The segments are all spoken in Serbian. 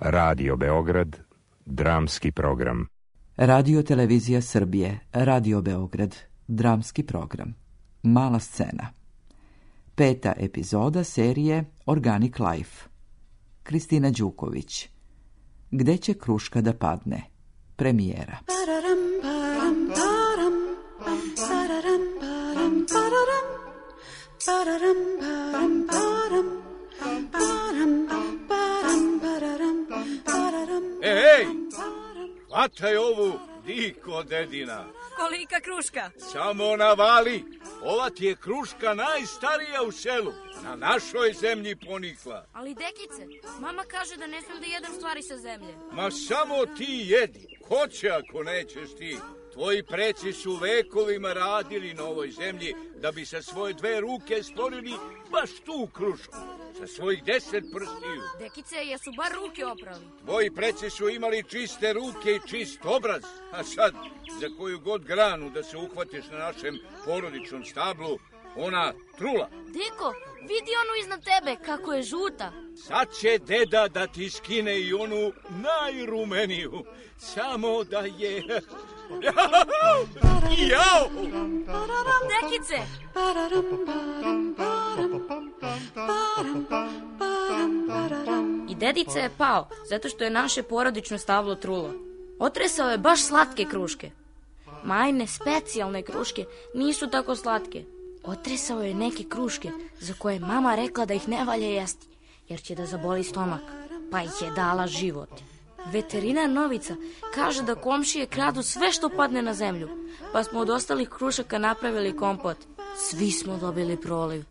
Radio Beograd, dramski program. Radio Televizija Srbije, Radio Beograd, dramski program. Mala scena. 5. epizoda serije Organic Life. Kristina Đuković. Gde će kruška da padne? Premijera. Ej, hvataj ovu, diko dedina. Kolika kruška? Samo navali, ova ti je kruška najstarija u selu. Na našoj zemlji ponikla. Ali dekice, mama kaže da ne smijem da jedem stvari sa zemlje. Ma samo ti jedi, ko će ako nećeš ti? Tvoji preci su vekovima radili na ovoj zemlji da bi sa svoje 2 ruke stvorili baš tu krušku. Sa svojih 10 prstiju. Dekice, jesu bar ruke oprali? Tvoji preci su imali čiste ruke i čist obraz. A sad, za koju god granu da se uhvatiš na našem porodičnom stablu, ona trula. Deko, vidi onu iznad tebe, kako je žuta. Sad će deda da ti skine i onu najrumeniju. Samo da je... Jao! Dekice! I dedica je pao, zato što je naše porodično stablo trulo. Otresao je baš slatke kruške. Majne specijalne kruške nisu tako slatke. Otresao je neke kruške za koje je mama rekla da ih ne valja jesti, jer će da zaboli stomak, pa ih je dala život. Veterinar Novica kaže da komšije kradu sve što padne na zemlju, pa smo od ostalih krušaka napravili kompot. Svi smo dobili proliv.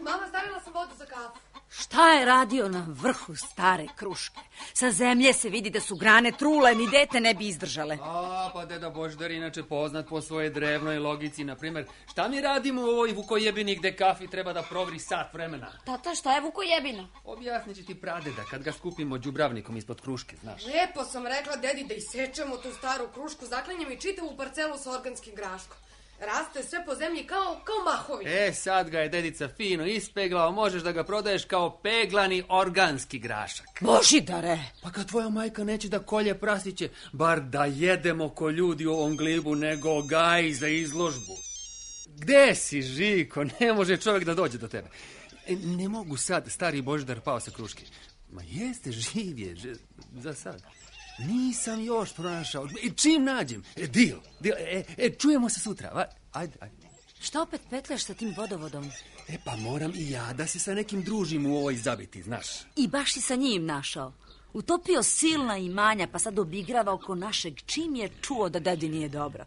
Mama, stavila sam vodu za kafu. Šta je radio na vrhu stare kruške? Sa zemlje se vidi da su grane trule, ni dete ne bi izdržale. Pa deda Božidar inače poznat po svojoj drevnoj logici. Naprimer, šta mi radimo u ovoj vukojebini gde kafi treba da provri sat vremena? Tata, šta je vukojebina? Objasnit će ti pradeda kad ga skupimo đubravnikom ispod kruške, znaš. Lijepo sam rekla dedi da isečemo tu staru krušku, zaklenjem i čitavu parcelu sa organskim graškom. Raste sve po zemlji kao mahovi. Sad ga je dedica fino ispeglao, možeš da ga prodaješ kao peglani organski grašak. Božidare! Pa kad tvoja majka neće da kolje prasiće, bar da jedemo ko ljudi u ovom glibu, nego gaji za izložbu. Gde si, Žiko? Ne može čovjek da dođe do tebe. Ne mogu sad, stari Božidar pao sa kruške. Ma jeste, živ je, za sad. Nisam još pronašao. Čim nađem? Deal. Čujemo se sutra. Ajde. Šta opet petljaš sa tim vodovodom? Pa moram i ja da se sa nekim družim u ovoj zabiti, znaš. I baš si sa njim našao. Utopio silna imanja, pa sad obigrava oko našeg, čim je čuo da dedi nije dobro.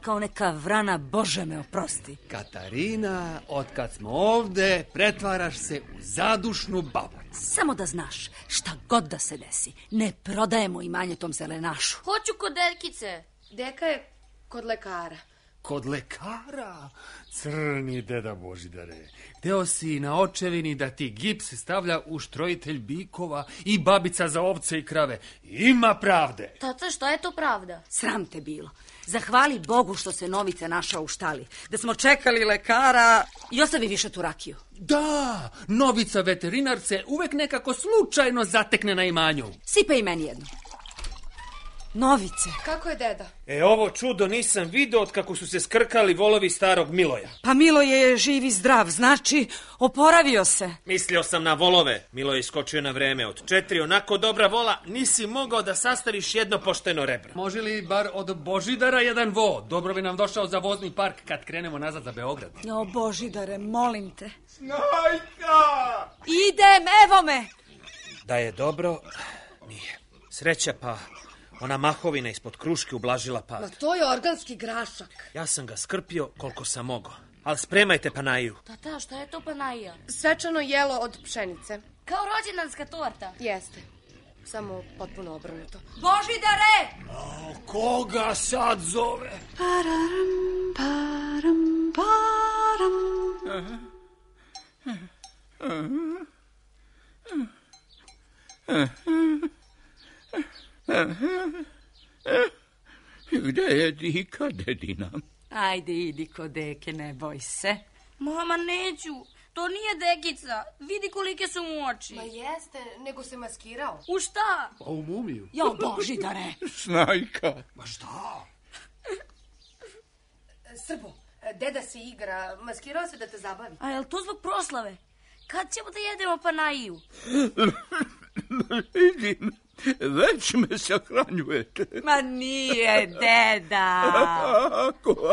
Kao neka vrana, Bože me oprosti. Katarina, otkad smo ovde, pretvaraš se u zadušnu babu. Samo da znaš, šta god da se desi, ne prodajemo imanje tom zelenašu. Hoću kod dekice. Deka je kod lekara. Kod lekara? Crni deda Božidare. Hteo si na očevini da ti gips stavlja uštrojitelj bikova i babica za ovce i krave. Ima pravde. Tata, šta je to pravda? Sram te bilo. Zahvali Bogu što se Novica našao u štali. Da smo čekali lekara i ostavi više tu rakiju. Da, Novica veterinar se uvek nekako slučajno zatekne na imanju. Sipa i meni jedno. Novice. Kako je deda? Ovo čudo nisam video od kako su se skrkali volovi starog Miloja. Pa Miloje je živ i zdrav, znači oporavio se. Mislio sam na volove. Milo je iskočio na vreme. Od 4 onako dobra vola nisi mogao da sastariš jedno pošteno rebro. Može li bar od Božidara jedan vo? Dobro bi nam došao za vozni park kad krenemo nazad za Beograd. Božidare, molim te. Snajka! Idem, evo me! Da je dobro, nije. Sreća pa... Ona mahovina ispod kruške ublažila pad. Ma to je organski grašak. Ja sam ga skrpio koliko sam mogao. Ali spremajte panaju. Tata, šta je to panaja? Svečano jelo od pšenice. Kao rođendanska torta. Jeste. Samo potpuno obrnuto. Božidare! Koga sad zove? Pararam, param, param. Gde je Dika, dedina? Ajde, idi kod deke, ne boj se. Mama, neću. To nije Dekica. Vidi kolike su mu oči. Ma jeste, nego se maskirao. U šta? Pa u mumiju. Jo, Božidare. Snajka. Ma šta? Srbo, deda se igra, maskirao se da te zabavi. A jel to zbog proslave? Kad ćemo da jedemo panajiju? Vidim, već me sahranjujete. Ma nije, deda.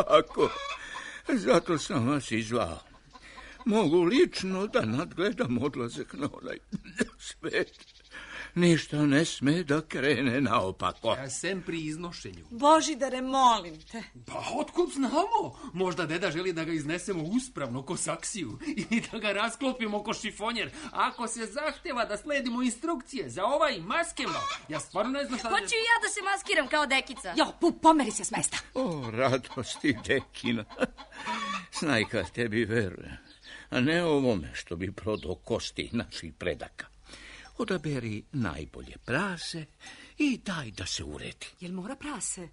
Ako. Zato sam vas izvao. Mogu lično da nadgledam odlazak na onaj svet. Ništa ne sme da krene naopako. Sem pri iznošenju. Božidare, molim te. Pa otkud znamo? Možda deda želi da ga iznesemo uspravno ko saksiju i da ga rasklopimo ko šifonjer. Ako se zahteva da sledimo instrukcije za ovaj maskema, ja stvarno ne znam šta... Hoću i ja da se maskiram kao Dekica. Jo, pomeri se s mesta. O, radosti Dekina. Snajka, tebi veruje, a ne ovome što bi prodao kosti naših predaka. Odaberi najbolje prase i daj da se uredi. Jel mora prase?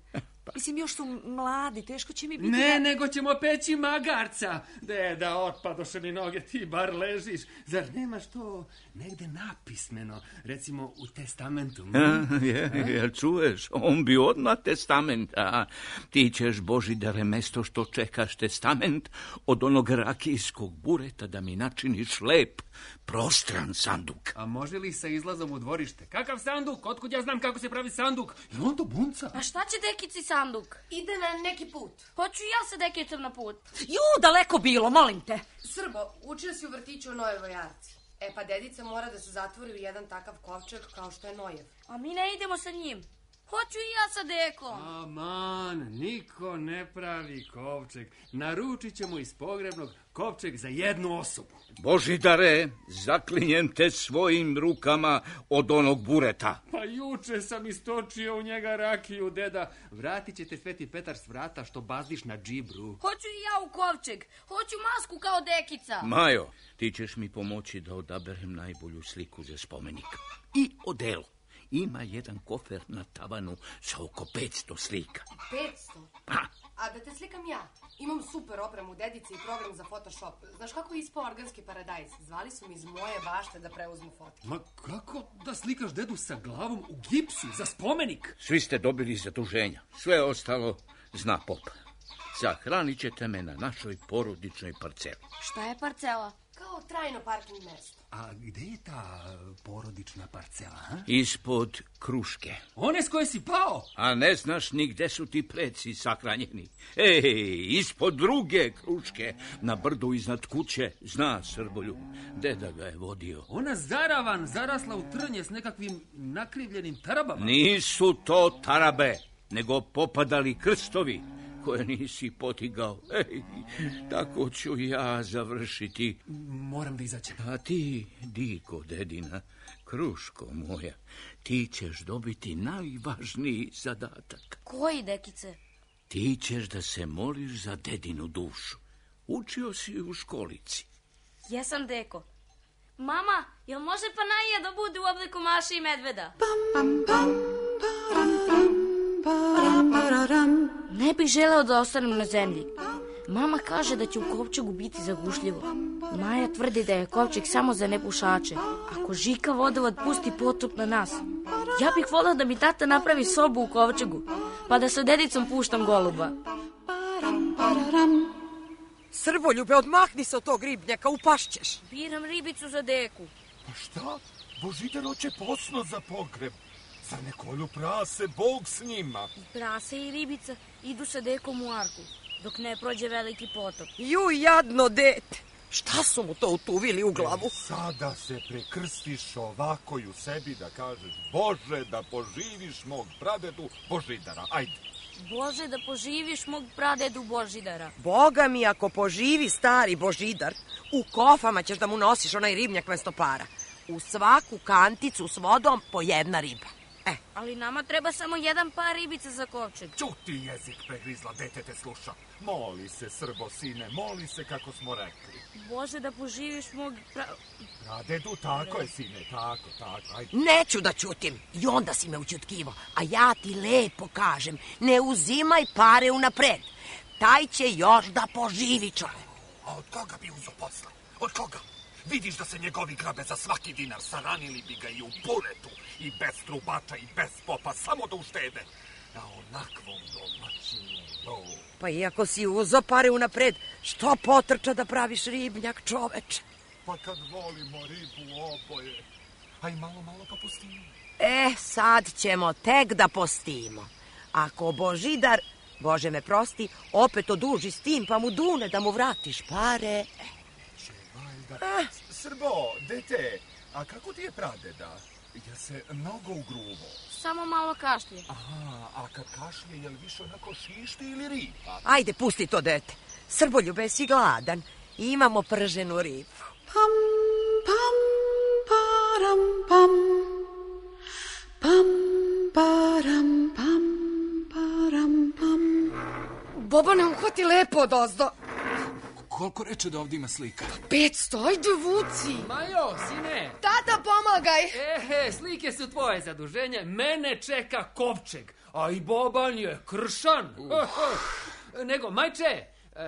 Mislim, još su mladi, teško će mi biti... Ne, nego ćemo peći magarca. Deda, otpadoše mi noge, ti bar ležiš. Zar nemaš to negde napismeno, recimo u testamentu? Jel čuješ, on bi odmah testament, a ti ćeš, Božidare, mesto što čekaš testament, od onog rakijskog bureta da mi načiniš lep, prostran sanduk. A može li sa izlazom u dvorište? Kakav sanduk? Otkud ja znam kako se pravi sanduk? Je on to bunca? A šta će Dekici sanduk? Ide na neki put. Hoću i ja sa Dekicom na put. Daleko bilo, molim te. Srbo, učio si u vrtiću o Nojevoj jarci. Pa dedica mora da se zatvori u jedan takav kovčeg kao što je Nojev. A mi ne idemo sa njim. Hoću i ja sa Dekom. Aman, niko ne pravi kovčeg. Naručit ćemo iz pogrebnog kovčeg za jednu osobu. Božidare, zaklinjem te svojim rukama od onog bureta. Pa juče sam istočio u njega rakiju, deda. Vratit će te Sveti Petar s vrata što bazdiš na džibru. Hoću i ja u kovčeg. Hoću masku kao Dekica. Majo, ti ćeš mi pomoći da odaberem najbolju sliku za spomenik. I odelo. Ima jedan kofer na tavanu sa oko 500 slika. 500? Pa. A da te slikam ja. Imam super opremu dedice i program za Photoshop. Znaš kako je ispao organski paradajz? Zvali su mi iz moje bašte da preuzmu fotke. Ma kako da slikaš dedu sa glavom u gipsu za spomenik? Svi ste dobili zaduženja. Sve ostalo zna pop. Sahranit ćete me na našoj porodičnoj parceli. Šta je parcela? Kao trajno parking mesto. A gde je ta porodična parcela, ha? Ispod Kruške. One s koje si pao? A ne znaš ni gde su ti preci sahranjeni. Ej, ispod druge Kruške, na brdu iznad kuće, zna Srbolju. Deda ga je vodio. Ona zaravan, zarasla u trnje s nekakvim nakrivljenim tarabama. Nisu to tarabe, nego popadali krstovi koje nisi potigao. Ej, tako ću ja završiti. Moram da izađem. A ti, Diko, dedina, kruško moja, ti ćeš dobiti najvažniji zadatak. Koji, Dekice? Ti ćeš da se moliš za dedinu dušu. Učio si u školici. Jesam, Deko. Mama, jel može panajija da bude u obliku Maše i medveda? Ne bih želeo da ostanem na zemlji. Mama kaže da će u kovčegu biti zagušljivo. Maja tvrdi da je kovčeg samo za nepušače. Ako Žika vodovod pusti potop na nas, ja bih volao da mi tata napravi sobu u kovčegu, pa da sa dedicom puštam goluba. Srboljube, odmahni se od tog ribnjaka, upašćeš. Biram ribicu za Deku. Pa šta? Božidar hoće posno za pogreb. Za ne kolju prase, Bog s njima. I prase i ribica idu sa Dekom u arku, dok ne prođe veliki potop. Ju, jadno dete. Šta su mu to utuvili u glavu? Sada se prekrstiš ovako i u sebi da kažeš Bože da poživiš mog pradedu Božidara. Ajde. Bože da poživiš mog pradedu Božidara. Boga mi, ako poživi stari Božidar, u kofama ćeš da mu nosiš onaj ribnjak mesto para. U svaku kanticu s vodom po jedna riba. Ali nama treba samo jedan par ribica za kovčeg. Ćuti, jezik pregrizla, dete te sluša. Moli se, Srbo, sine, moli se kako smo rekli. Bože, da poživiš mog... Pradedu, tako je, sine, tako, ajde. Neću da ćutim, i onda si me učutkivo, a ja ti lepo kažem, ne uzimaj pare unapred. Taj će još da poživi čovek. A od koga bi uzo posle? Od koga? Vidiš da se njegovi grabe za svaki dinar, saranili bi ga i u buretu, i bez trubača, i bez popa, samo da uštede. Na onakvom domaćinu. Pa iako si uzo pare unapred, što potrča da praviš ribnjak, čoveče? Pa kad volimo ribu oboje, a i malo pa pustimo. Sad ćemo tek da postimo. Ako Božidar, Bože me prosti, opet oduži s tim, pa mu dune da mu vratiš pare... Srbo, dete, a kako ti je pradeda? Je se mnogo ugruvo? Samo malo kašlje. Aha, a kad kašlje, je li više onako šišti ili riba? Ajde, pusti to, dete. Srboljube, si gladan. Imamo prženu ribu. Pam, pam, param, pam. Pam, param, pam, param, pam. Bobane, uhvati lepo odozdo. Koliko reče da ovdje ima slika? 500, ajde vuci. Majo, sine. Tata, pomagaj. Slike su tvoje zaduženje. Mene čeka kovčeg. A i Boban je kršan. Nego, majče,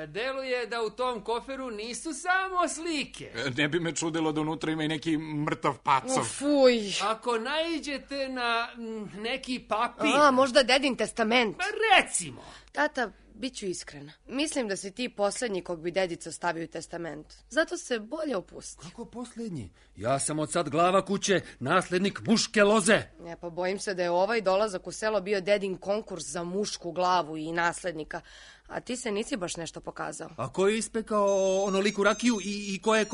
deluje da u tom koferu nisu samo slike. Ne bi me čudilo da unutra ima i neki mrtav pacov. Fuj. Ako naiđete na neki papir... Možda dedin testament. Recimo. Tata, bit ću iskrena. Mislim da si ti posljednji kog bi dedica stavio u testament. Zato se bolje opusti. Kako posljednji? Ja sam od sad glava kuće, naslednik muške loze. Pa bojim se da je ovaj dolazak u selo bio dedin konkurs za mušku glavu i naslednika. A ti se nisi baš nešto pokazao. A ko je ispekao onoliku rakiju i ko je...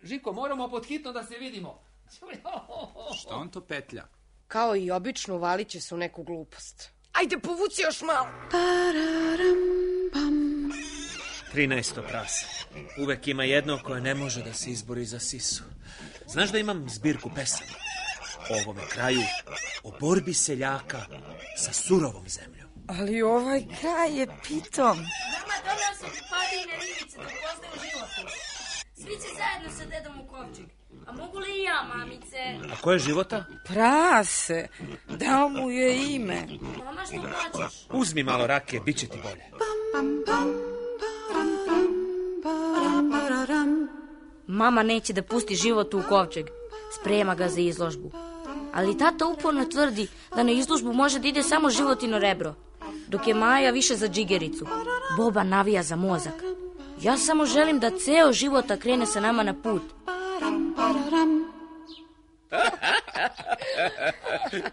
Žiko, moramo podhitno da se vidimo. Što on to petlja? Kao i obično, valit će se u neku glupost. Ajde, povuci još malo. 13. prase. Uvek ima jedno koje ne može da se izbori za sisu. Znaš da imam zbirku pesama o ovome kraju, o borbi seljaka sa surovom zemljom. Ali ovaj kraj je pitom. Mama, donao sam padine ribice da poznaju životu. Svi će zajedno sa dedom u kovčeg. A mogu li i ja, mamice? A ko je Života? Prase, dao mu je ime. Mama, što plaćaš? Uzmi malo rakije, bit će ti bolje. Mama neće da pusti Životu u kovčeg. Sprema ga za izložbu. Ali tata uporno tvrdi da na izložbu može da ide samo Životino rebro, dok je Maja više za džigericu. Boba navija za mozak. Ja samo želim da ceo Života krene sa nama na put.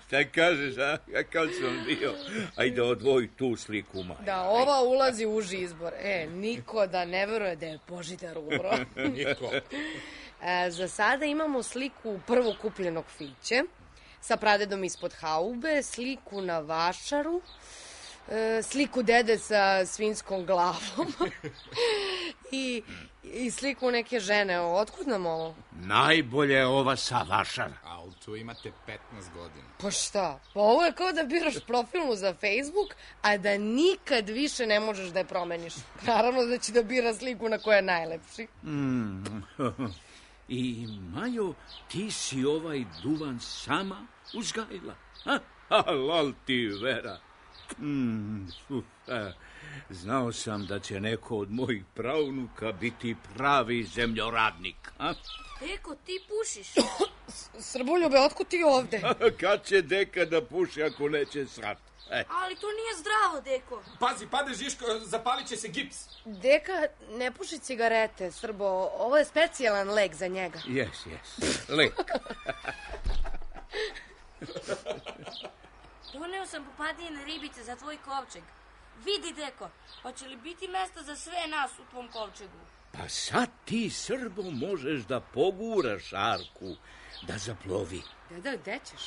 Šta kažeš, a? Kakav sam bio? Ajde, odvoji tu sliku, Maja. Da, ova ulazi u uži izbor. Niko da ne veruje da je Božidar umro. Niko. Za sada imamo sliku prvo kupljenog fiće, sa pradedom ispod haube, sliku na vašaru, sliku dede sa svinjskom glavom i sliku neke žene. Otkud nam ovo? Najbolje je ova sa vašara. A tu imate 15 godina. Pa šta? Pa ovo je kao da biraš profilnu za Facebook, a da nikad više ne možeš da je promeniš. Naravno da će da bira sliku na koja je najlepši. I, Majo, ti si ovaj duvan sama uzgajila? Lal ti, Vera. Znao sam da će neko od mojih pravnuka biti pravi zemljoradnik. Deko, ti pušiš? Srboljube, otkud ti ovde? Kad će deka da puši ako neće srat? Ali to nije zdravo, Deko. Pazi, pade Žiško, zapalit će se gips. Deka ne puši cigarete, Srbo. Ovo je specijalan lek za njega. Jes, lek. Doneo sam popadine ribice za tvoj kovčeg. Vidi, Deko, hoće li biti mesta za sve nas u tvom kovčegu? Pa sad ti, Srbo, možeš da poguraš Arku, da zaplovi. Deda, gde ćeš?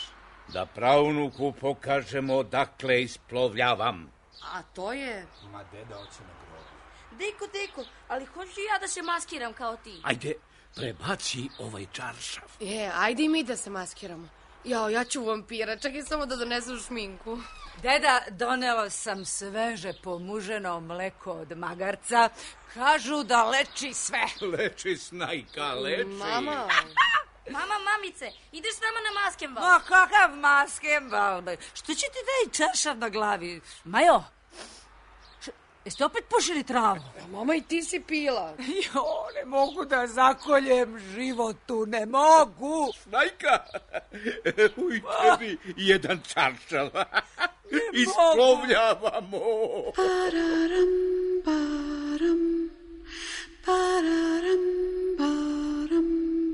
Da pravnuku pokažemo odakle isplovljavam. A to je... Ma deda hoće na grobu. Deko, ali hoću ja da se maskiram kao ti. Ajde, prebaci ovaj čaršav. Ajde i mi da se maskiramo. Jao, ja ću vampira, čekaj samo da donesu šminku. Deda, donela sam sveže pomuženo mleko od magarca. Kažu da leči sve. Leči, snajka, leči. Mama. Mama, mamice, ideš s nama na maskenbal? Ma kakav maskenbal? Što će ti daj čaršav na glavi? Majo, jeste opet pušili travu? Mama, i ti si pila. Jo, ne mogu da zakoljem životu, ne mogu. Snajka, uj tebi jedan čaršav. Isplovljavamo. Pararam, param, pararam, param,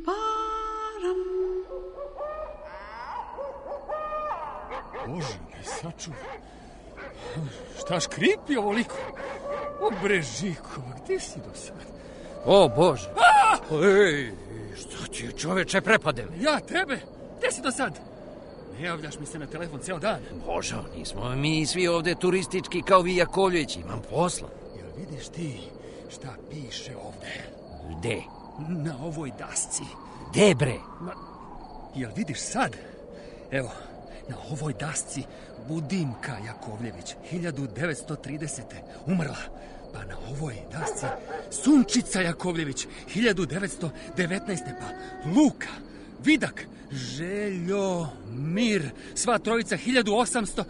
param. Bože, me sačuvaj. Šta škripi ovoliko? O, bre, Žikova, gde si do sad? O, Bože. Ej, što ti je, čoveče, prepade me? Ja, tebe? Gde si do sad? Ne javljaš mi se na telefon ceo dan. Bože, nismo mi svi ovde turistički kao vi Jakovljević, imam posla. Jel vidiš ti šta piše ovde? Gde? Na ovoj dasci. Gde, bre? Jel vidiš sad? Evo, na ovoj dasci Budimka Jakovljević, 1930. umrla. Pa na ovoj dasci Sunčica Jakovljević, 1919. Pa Luka, Vidak, Željo, Mir, sva trojica, 1800...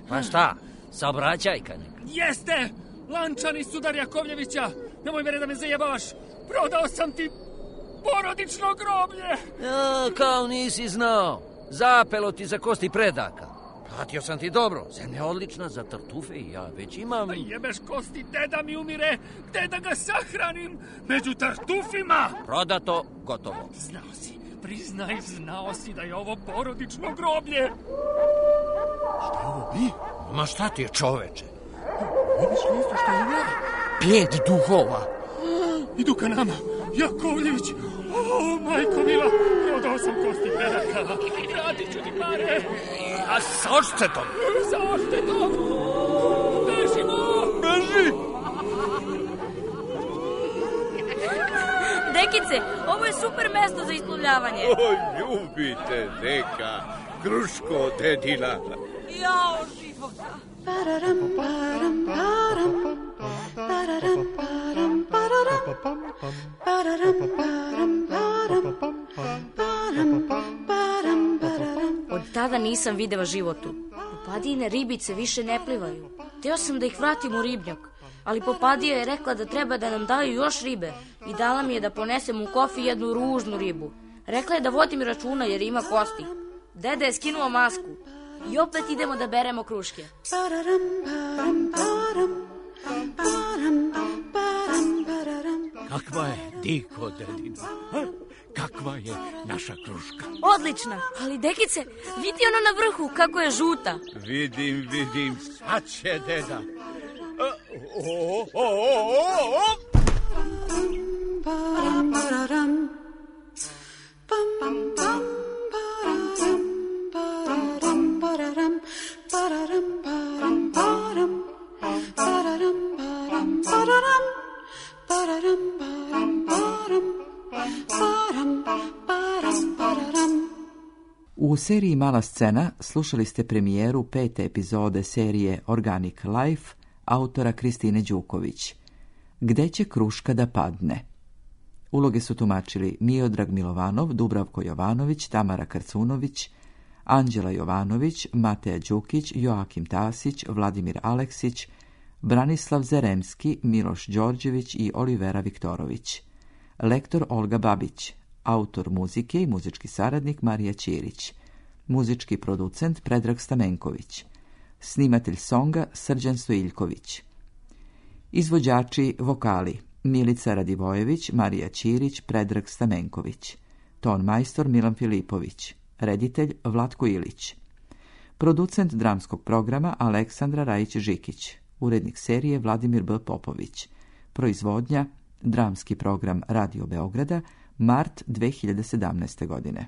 Pa šta, saobraćajka neka? Jeste! Lančani Sudar Jakovljevića! Nemoj mere da me zajebavaš! Prodao sam ti porodično groblje! Ja, kao nisi znao. Zapelo ti za kosti predaka. Platio sam ti dobro. Zemlja je odlična za tartufe i ja već imam... Da jebeš kosti, deda mi umire. Gde da ga sahranim? Među tartufima! Prodato, gotovo. Znao si, priznaj, znao si da je ovo porodično groblje. Šta je ovo bi? Ma šta ti je, čoveče? Vidiš li isto što je ja? 5 duhova. Idu ka nama. Jakovljević. O, majko mila, prodao sam kosti predaka. Vratit ću ti pare. A sa odštetom? Sa odštetom. Bežimo. Beži. Dekice, ovo je super mesto za isplovljavanje. O, ljubite, deka. Kruško, dedina. Jao, života. Pararam, param, param. Pararam, param, pararam. Pararam, param, param. Pararam, param, pararam. Od tada nisam videla životu. Popadijine ribice više ne plivaju. Teo sam da ih vratim u ribnjak, ali Popadija je rekla da treba da nam daju još ribe i dala mi je da ponesem u kofi jednu ružnu ribu. Rekla je da vodim računa jer ima kosti. Deda je skinuo masku i opet idemo da beremo kruške. Pararam, param, param. Param, param, pararam. Kakva je diko, dedina? Kakva je naša kruška? Odlična, ali dekice, vidi ono na vrhu kako je žuta. Vidim, sad će deda. Param, pararam. Pam, pam, pararam. Pararam, pararam. Pararam, param, param. Pararam, param, pararam. Pararam, param, param. Param, param, pararam. U seriji Mala scena slušali ste premijeru 5. epizode serije Organic Life autora Kristine Đuković. Gde će kruška da padne? Uloge su tumačili Miodrag Milovanov, Dubravko Jovanović, Tamara Karcunović, Anđela Jovanović, Mateja Đukić, Joakim Tasić, Vladimir Aleksić, Branislav Zeremski, Miloš Đorđević i Olivera Viktorović. Lektor Olga Babić, autor muzike i muzički saradnik Marija Ćirić, muzički producent Predrag Stamenković, snimatelj songa Srđan Stojiljković. Izvođači vokali Milica Radivojević, Marija Ćirić, Predrag Stamenković, ton majstor Milan Filipović, reditelj Vlatko Ilić, producent dramskog programa Aleksandra Rajić-Žikić, urednik serije Vladimir B. Popović, proizvodnja Dramski program Radio Beograda, mart 2017. godine.